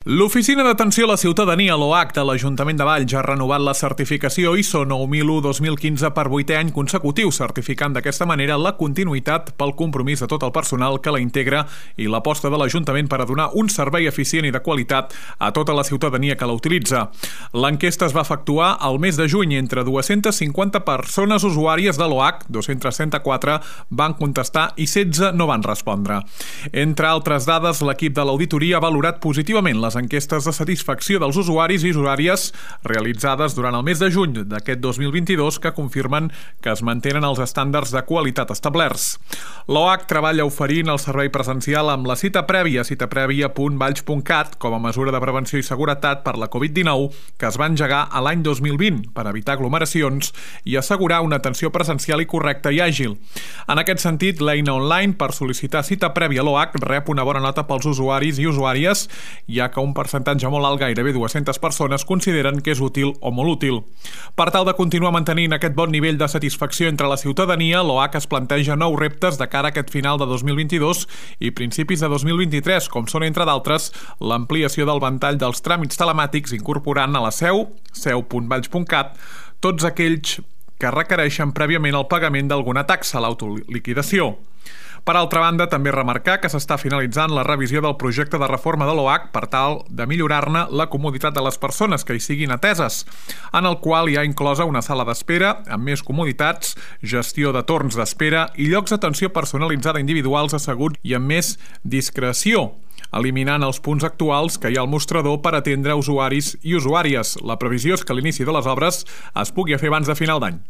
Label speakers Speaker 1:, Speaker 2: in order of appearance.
Speaker 1: L'Oficina d'Atenció a la Ciutadania, l'OAC, de l'Ajuntament de Valls ha renovat la certificació ISO 9001-2015 per 8è any consecutiu, certificant d'aquesta manera la continuïtat pel compromís de tot el personal que la integra i l'aposta de l'Ajuntament per a donar un servei eficient i de qualitat a tota la ciutadania que la utilitza. L'enquesta es va efectuar al mes de juny entre 250 persones usuàries de l'OAC, 234 van contestar i 16 no van respondre. Entre altres dades, l'equip de l'auditoria ha valorat positivament les enquestes de satisfacció dels usuaris i usuàries realitzades durant el mes de juny d'aquest 2022 que confirmen que es mantenen els estàndards de qualitat establerts. L'OAC treballa oferint el servei presencial amb la cita prèvia.valls.cat com a mesura de prevenció i seguretat per la Covid-19 que es va engegar a l'any 2020 per evitar aglomeracions i assegurar una atenció presencial i correcta i àgil. En aquest sentit, l'eina online per sol·licitar cita prèvia a l'OAC rep una bona nota pels usuaris i usuàries, ja que un percentatge molt alt, gairebé 200 persones, consideren que és útil o molt útil. Per tal de continuar mantenint aquest bon nivell de satisfacció entre la ciutadania, l'OAC es planteja nous reptes de cara a aquest final de 2022 i principis de 2023, com són, entre d'altres, l'ampliació del ventall dels tràmits telemàtics incorporant a la seu.valls.cat, tots aquells que requereixen prèviament el pagament d'alguna taxa, l'autoliquidació. Per altra banda, també remarcar que s'està finalitzant la revisió del projecte de reforma de l'OAC per tal de millorar-ne la comoditat de les persones que hi siguin ateses, en el qual hi ha inclosa una sala d'espera amb més comoditats, gestió de torns d'espera i llocs d'atenció personalitzada individuals asseguts i amb més discreció, eliminant els punts actuals que hi ha al mostrador per atendre usuaris i usuàries. La previsió és que l'inici de les obres es pugui fer abans de final d'any.